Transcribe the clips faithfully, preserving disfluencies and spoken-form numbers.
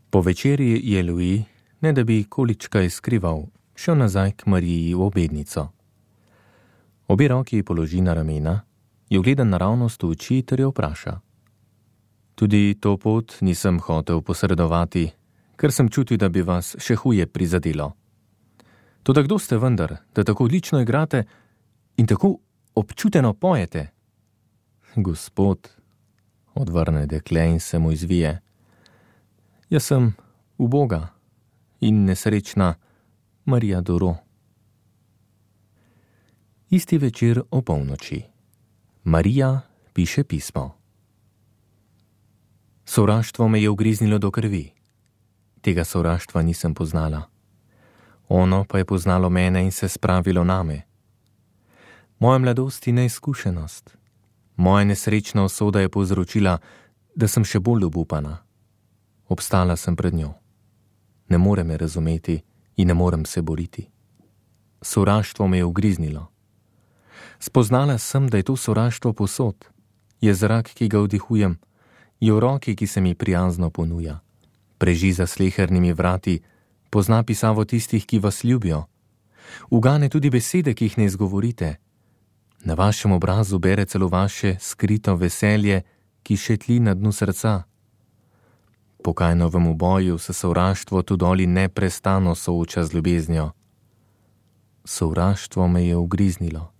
Po večerji je Louis, ne da bi količkaj skrival, šel nazaj k Mariji v obednico. Obe roki ji položi na ramena, jo gleda naravnost v oči ter jo vpraša. Tudi to pot nisem hotel posredovati, ker sem čutil, da bi vas še huje prizadelo. Toda kdo ste vendar, da tako odlično igrate in tako občuteno pojete? Gospod, odvrne dekle in se mu izvije. Jaz sem uboga in nesrečna Marija Doro. Isti večer o polnoči. Marija piše pismo. Sovraštvo me je ugriznilo do krvi. Tega sovraštva nisem poznala. Ono pa je poznalo mene in se spravilo name. Moja mladost in neizkušenost, moja nesrečna usoda je povzročila, da sem še bolj obupana. Obstala sem pred njo. Ne more me razumeti in ne morem se boriti. Sovraštvo me je ugriznilo. Spoznala sem, da je to sovraštvo posod. Je zrak, ki ga vdihujem, je v roki, ki se mi prijazno ponuja. Preži za slehernimi vrati, pozna pisavo tistih, ki vas ljubijo. Ugane tudi besede, ki jih ne izgovorite. Na vašem obrazu bere celo vaše skrito veselje, ki šetli na dnu srca. Po Kainovem uboju se sovraštvo tu doli neprestano sooča z ljubeznijo. Sovraštvo me je ugriznilo.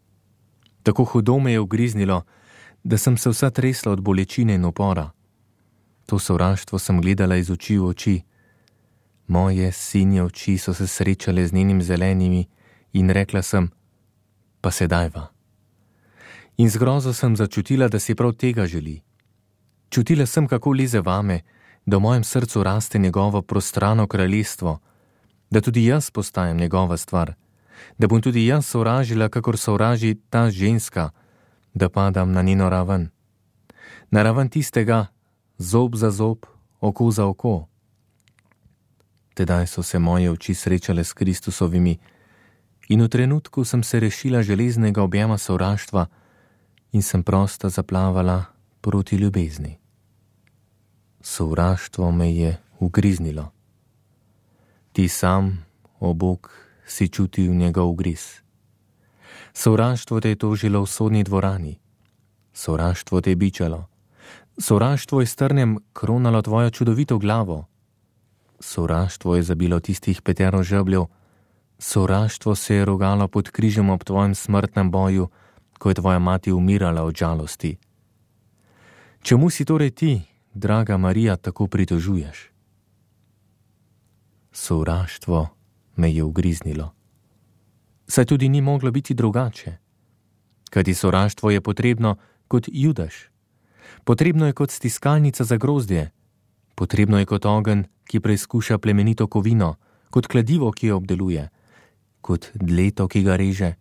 Tako hudo me je ugriznilo, da sem se vsa tresla od bolečine in upora. To sovraštvo sem gledala iz oči v oči. Moje sinje oči so se srečale z njenim zelenimi in rekla sem, pa sedajva. In z grozo sem začutila, da si prav tega želi. Čutila sem, kako leze vame, da v mojem srcu raste njegovo prostrano kraljestvo, da tudi jaz postajam njegova stvar, da bom tudi jaz sovražila, kakor sovraži ta ženska, da padam na njeno raven. Na raven tistega, zob za zob, oko za oko. Tedaj so se moje oči srečale s Kristusovimi in v trenutku sem se rešila železnega objema sovraštva in sem prosta zaplavala proti ljubezni. Sovraštvo me je ugriznilo. Ti sam, o Bog, si čutil njegov ugriz. Sovraštvo te je tožilo v sodni dvorani. Sovraštvo te je bičalo. Sovraštvo je s trnjem kronalo tvojo čudovito glavo. Sovraštvo je zabilo tistih petero žebljev. Sovraštvo se je rogalo pod križem ob tvojem smrtnem boju, ko je tvoja mati umirala od žalosti. Čemu si torej ti, draga Marija, tako pritožuješ? Sovraštvo me je ugriznilo. Saj tudi ni moglo biti drugače. Kajti sovraštvo je potrebno kot Judaš. Potrebno je kot stiskalnica za grozdje. Potrebno je kot ogenj, ki preizkuša plemenito kovino, kot kladivo, ki jo obdeluje, kot dleto, ki ga reže,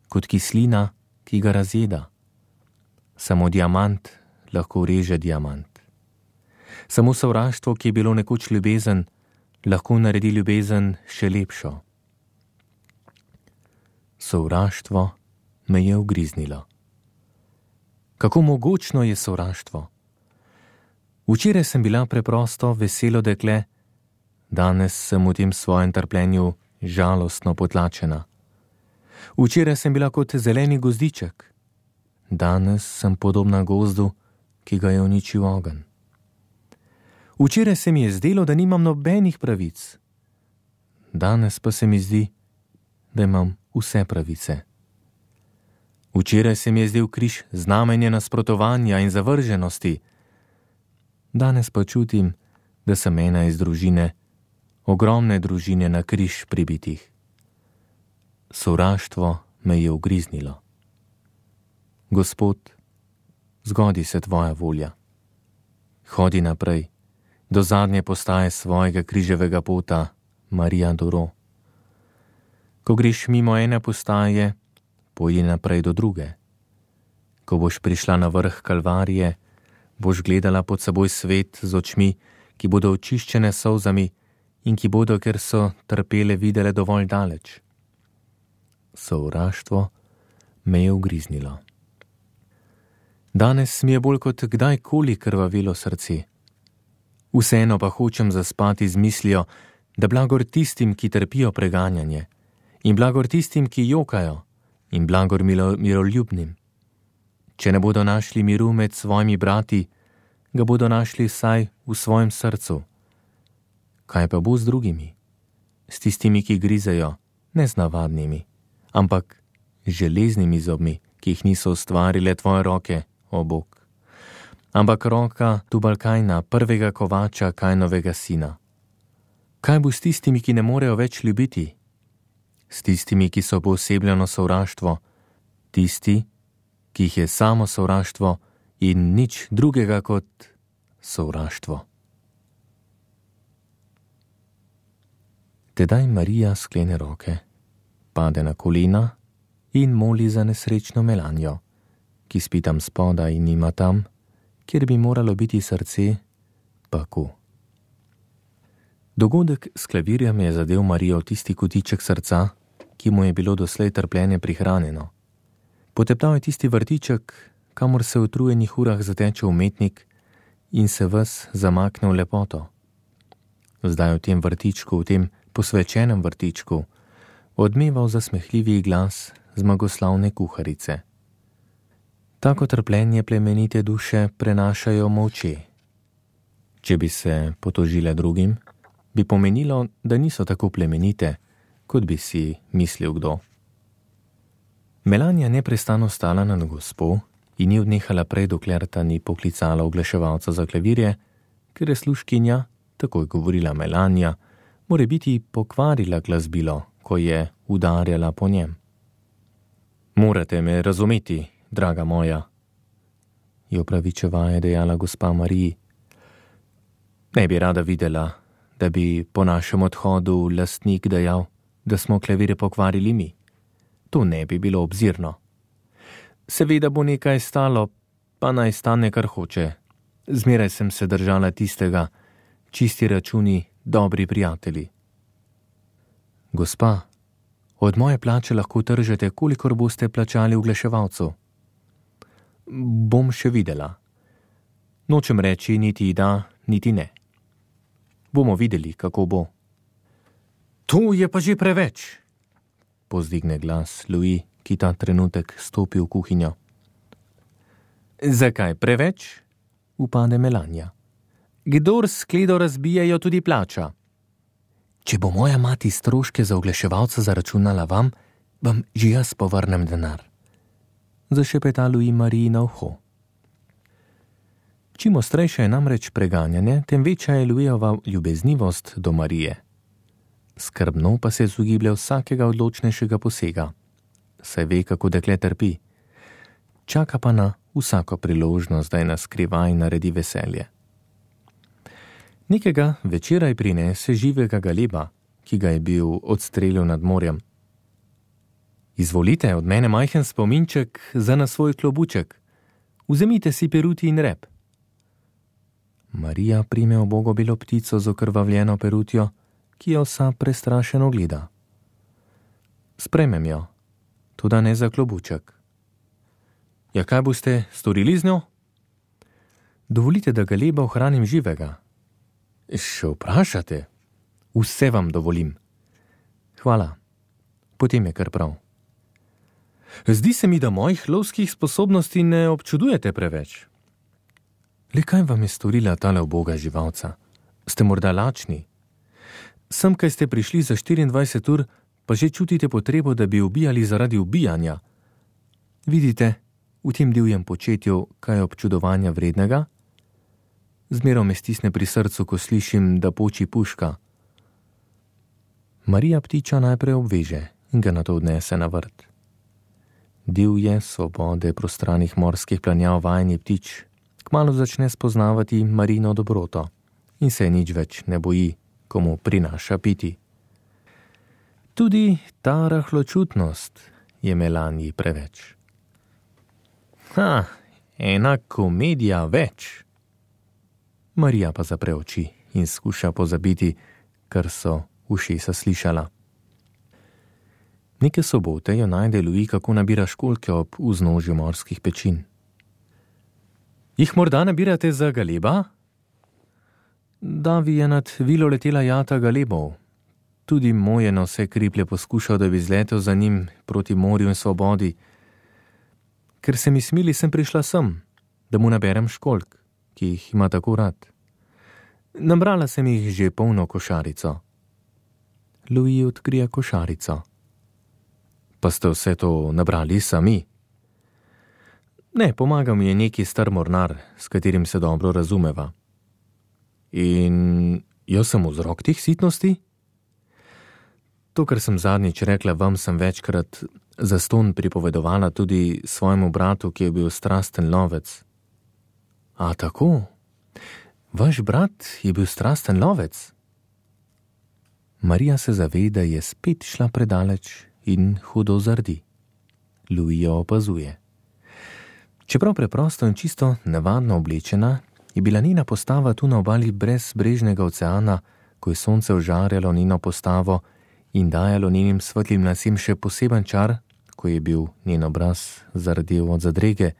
kot kislina, ki ga razjeda. Samo diamant lahko reže diamant. Samo sovraštvo, ki je bilo nekoč ljubezen, lahko naredi ljubezen še lepšo. Sovraštvo me je ugriznilo. Kako mogočno je sovraštvo? Včeraj sem bila preprosto veselo dekle, danes sem v tem svojem trpljenju žalostno potlačena. Včeraj sem bila kot zeleni gozdiček, danes sem podobna gozdu, ki ga je uničil ogenj. Včeraj se mi je zdelo, da nimam nobenih pravic, danes pa se mi zdi, da imam vse pravice. Včeraj se mi je zdel križ znamenje nasprotovanja in zavrženosti, danes pa čutim, da sem ena iz družine, ogromne družine na križ pribitih. Sovraštvo me je ugriznilo. Gospod, zgodi se tvoja volja. Hodi naprej, do zadnje postaje svojega križevega pota, Marija Doro. Ko greš mimo ene postaje, pojdi naprej do druge. Ko boš prišla na vrh Kalvarije, boš gledala pod seboj svet z očmi, ki bodo očiščene s solzami in ki bodo, ker so trpele, videle dovolj daleč. Sovraštvo me je ugriznilo. Danes mi je bolj kot kdajkoli krvavilo srce. Vseeno pa hočem zaspati z mislijo, da blagor tistim, ki trpijo preganjanje, in blagor tistim, ki jokajo, in blagor milo, miroljubnim. Če ne bodo našli miru med svojimi brati, ga bodo našli vsaj v svojem srcu. Kaj pa bo z drugimi? S tistimi, ki grizejo, ne z navadnimi, ampak z železnimi zobmi, ki jih niso ustvarile tvoje roke, o Bog. Ampak roka Tubalkajna, prvega kovača Kajnovega sina. Kaj bo s tistimi, ki ne morejo več ljubiti? S tistimi, ki so poosebljeno sovraštvo, tisti, ki jih je samo sovraštvo in nič drugega kot sovraštvo. Tedaj Marija sklene roke, pade na kolena in moli za nesrečno Melanijo, ki spi tam spodaj in ima tam, kjer bi moralo biti srce, paku. Dogodek s klavirjem je zadel Marijo tisti kotiček srca, ki mu je bilo doslej trpljenje prihranjeno. Poteptal je tisti vrtiček, kamor se v utrujenih urah zateče umetnik in se ves zamakne v lepoto. Zdaj v tem vrtičku, v tem posvečenem vrtičku, odmeval zasmehljivi glas zmagoslavne kuharice. Tako trpljenje plemenite duše prenašajo molče. Če bi se potožile drugim, bi pomenilo, da niso tako plemenite, kot bi si mislil kdo. Melanija neprestano stala nad gospo in ni odnehala prej, dokler ta ni poklicala oglaševalca za klavirje, ker je služkinja, tako je govorila Melanija, more biti pokvarila glasbilo, ko je udarjala po njem. Morate me razumeti, draga moja, je opravičevaje dejala gospa Mariji. Ne bi rada videla, da bi po našem odhodu lastnik dejal, da smo klavire pokvarili mi. To ne bi bilo obzirno. Seveda bo nekaj stalo, pa naj stane kar hoče. Zmeraj sem se držala tistega, čisti računi, dobri prijatelji. Gospa, od moje plače lahko tržete, kolikor boste plačali oglaševalcu. Bom še videla. Nočem reči niti da, niti ne. Bomo videli, kako bo. To je pa že preveč, pozdigne glas Louis, ki ta trenutek stopi v kuhinjo. Zakaj preveč? Upade Melanija. Kdor skledo razbijajo, tudi plača. Če bo moja mati stroške za oglaševalca zaračunala vam, vam že jaz povrnem denar. Zašepeta Louis Mariji na uho. Čim ostrejše je namreč preganjanje, tem večja je Louisova ljubeznivost do Marije. Skrbno pa se izogiblja vsakega odločnejšega posega. Saj ve, kako dekle trpi. Čaka pa na vsako priložnost, da je na skrivaj naredi veselje. Nekega večeraj prinese živega galeba, ki ga je bil odstrelil nad morjem. Izvolite od mene majhen spominček za na svoj klobuček. Vzemite si peruti in rep. Marija prime ubogo belo ptico z okrvavljeno perutjo, ki jo vsa prestrašeno gleda. Sprejmem jo, toda ne za klobuček. Ja, kaj boste storili z njo? Dovolite, da galeba ohranim živega. Še vprašate? Vse vam dovolim. Hvala, potem je kar prav. Zdi se mi, da mojih lovskih sposobnosti ne občudujete preveč. Le kaj vam je storila tale uboga živalca? Ste morda lačni? Sem, kaj ste prišli za štiriindvajset ur, pa že čutite potrebo, da bi ubijali zaradi ubijanja. Vidite, v tem divjem početju, kaj je občudovanja vrednega? Zmeraj me stisne pri srcu, ko slišim, da poči puška. Marija ptiča najprej obveže in ga nato odnese na vrt. Divje, svobode prostranih morskih planjav vajeni ptič kmalu začne spoznavati Marino dobroto in se nič več ne boji, ko mu prinaša piti. Tudi ta rahločutnost je Melaniji preveč. Ha, ena komedija več. Marija pa zapre oči in skuša pozabiti, kar so ušesa slišala. Neke sobote jo najde Louis, kako nabira školjke ob vznožju morskih pečin. Jih morda nabirate za galeba? Davi je nad vilo letela jata galebov. Tudi moj je na vse kriplje poskušal, da bi zletel za njim proti morju in svobodi. Ker se mi smili, sem prišla sem, da mu naberem školjk, ki jih ima tako rad. Nabrala sem jih že polno košarico. Louis odkrije košarico. Pa ste vse to nabrali sami? Ne, pomaga mi je neki star mornar, s katerim se dobro razumeva. In jaz sem vzrok teh sitnosti? To, kar sem zadnjič rekla vam, sem večkrat zastonj pripovedovala tudi svojemu bratu, ki je bil strasten lovec. A tako? Vaš brat je bil strasten lovec? Marija se zave, da je spet šla predaleč in hudo zardi. Louis jo opazuje. Čeprav preprosto in čisto navadno oblečena, je bila njena postava tu na obali brezbrežnega oceana, ko je sonce ožarjalo njeno postavo in dajalo njenim svetlim lasem še poseben čar, ko je bil njen obraz zardel od zadrege,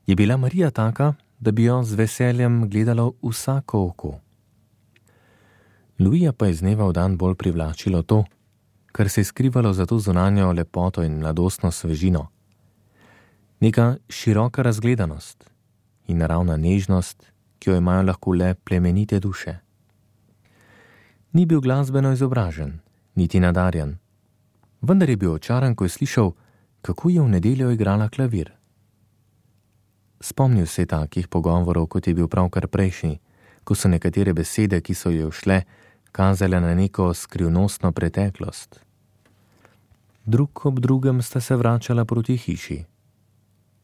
je bila Marija taka, da bi jo z veseljem gledalo vsako oko. Louisa pa je z dneva v dan bolj privlačilo to, kar se je skrivalo za to zunanjo lepoto in mladostno svežino. Neka široka razgledanost in naravna nežnost, ki jo imajo lahko le plemenite duše. Ni bil glasbeno izobražen, niti nadarjen, vendar je bil očaran, ko je slišal, kako je v nedeljo igrala klavir. Spomnil se je takih pogovorov, kot je bil pravkar prejšnji, ko so nekatere besede, ki so jo šle, kazale na neko skrivnostno preteklost. Drug ob drugem sta se vračala proti hiši.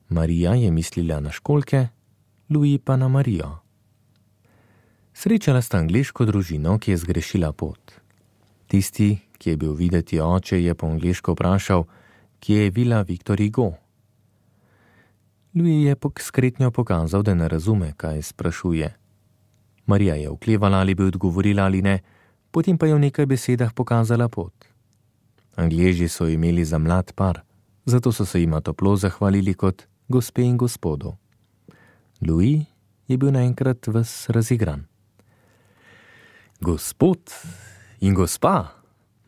Marija je mislila na školjke, Louis pa na Marijo. Srečala sta angleško družino, ki je zgrešila pot. Tisti, ki je bil videti oče, je po angleško vprašal, kje je vila Victor Hugo. Louis je s kretnjo pokazal, da ne razume, kaj sprašuje. Marija je oklevala, ali bi odgovorila ali ne, potem pa je v nekaj besedah pokazala pot. Angleži so imeli za mlad par, zato so se jima toplo zahvalili kot gospe in gospodu. Louis je bil naenkrat ves razigran. Gospod in gospa,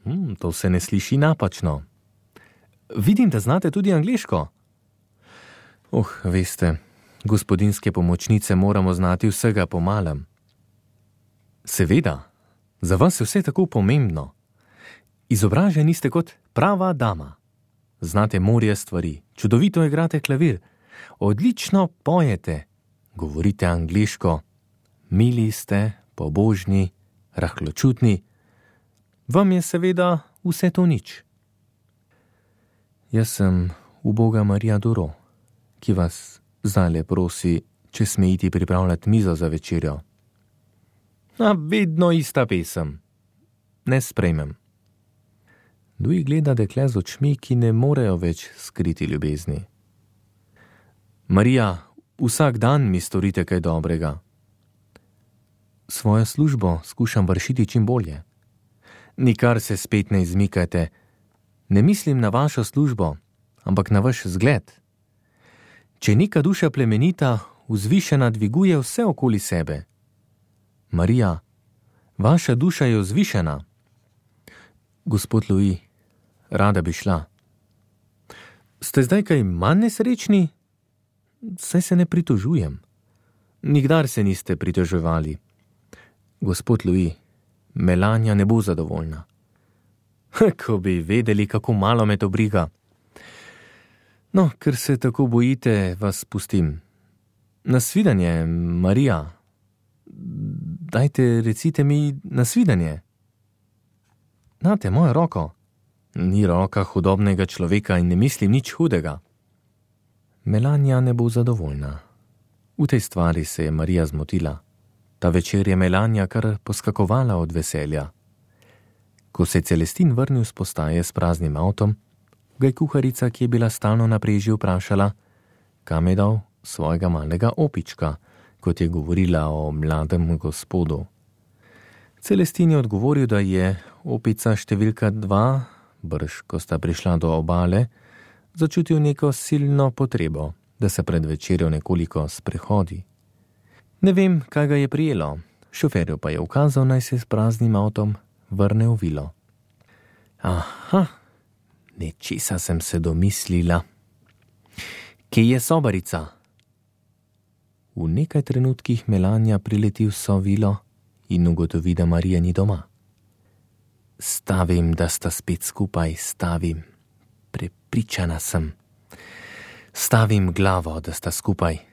hm, to se ne sliši napačno. Vidim, da znate tudi angleško. Oh, veste, gospodinske pomočnice moramo znati vsega po malem. Seveda, za vas je vse tako pomembno. Izobraženi ste kot prava dama. Znate morje stvari, čudovito igrate klavir, odlično pojete, govorite angleško, mili ste, pobožni, rahločutni. Vam je seveda vse to nič. Jaz sem uboga Marija Duro, ki vas zdajle prosi, če sme iti pripravljati mizo za večerjo. A vedno ista pesem. Ne sprejmem. Louis gleda dekle z očmi, ki ne morejo več skriti ljubezni. Marija, vsak dan mi storite kaj dobrega. Svojo službo skušam vršiti čim bolje. Nikar se spet ne izmikajte. Ne mislim na vašo službo, ampak na vaš zgled. Če neka duša plemenita, vzvišena dviguje vse okoli sebe. Marija, vaša duša je vzvišena. Gospod Louis, rada bi šla. Ste zdaj kaj manj nesrečni? Saj se ne pritožujem. Nikdar se niste pritoževali. Gospod Louis, Melania ne bo zadovoljna. Ko bi vedeli, kako malo me to briga. No, ker se tako bojite, vas pustim. Nasvidenje, Marija. Dajte, recite mi nasvidenje. Nate mojo roko. Ni roka hudobnega človeka in ne mislim nič hudega. Melania ne bo zadovoljna. V tej stvari se je Marija zmotila. Ta večer je Melania kar poskakovala od veselja. Ko se je Celestin vrnil s postaje s praznim avtom, ga je kuharica, ki je bila stalno na preži, vprašala, kam je dal svojega malega opička, kot je govorila o mladem gospodu. Celestin je odgovoril, da je opica številka dva, brž, ko sta prišla do obale, začutil neko silno potrebo, da se pred večerjo nekoliko sprehodi. Ne vem, kaj ga je prijelo, Šoferju pa je ukazal, naj se s praznim avtom vrne v vilo. Aha, nečesa sem se domislila. Kje je sobarica? V nekaj trenutkih Melania prileti v sovilo in ugotovi, da Marija ni doma. Stavim, da sta spet skupaj, stavim. Prepričana sem. Stavim glavo, da sta skupaj.